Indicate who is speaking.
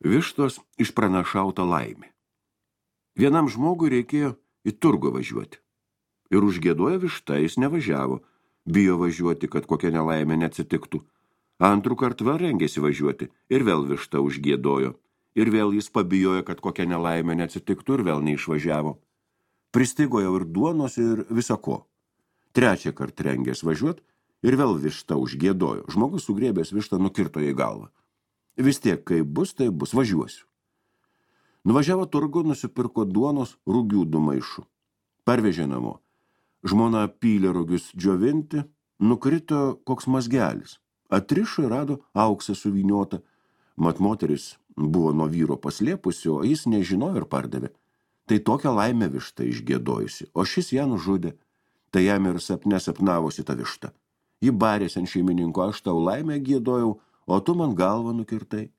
Speaker 1: Vištos išpranašauta laimė. Vienam žmogui reikėjo į turgų važiuoti. Ir užgiedojo višta, jis nevažiavo, bijo važiuoti, kad kokia nelaimė neatsitiktų. Antrų kartų vėl rengėsi važiuoti ir vėl višta užgiedojo. Ir vėl jis pabijojo, kad kokia nelaimė neatsitiktų ir vėl neišvažiavo. Pristigo jau ir duonos ir visako. Trečią kartą rengės važiuoti ir vėl višta užgiedojo. Žmogus sugrėbęs vištą nukirto į galvą. Vis tiek, kai bus, tai bus, važiuosiu. Nuvažiavo turgu, nusipirko duonos rugių 2 maišų. Parvežė namo. Žmona pylė rugius džiovinti, nukrito koks mazgelis. Atrišo ir rado auksą suvyniotą. Mat moteris buvo nuo vyro paslėpusi, o jis nežinojo ir pardavė. Tai tokią laimę višta išgiedojusi, o šis ją nužudė. Tai jam ir sapne sapnavosi ta višta. Ji barėsi ant šeimininko, aš tau laimę giedojau, o tu man galvą nukirtai.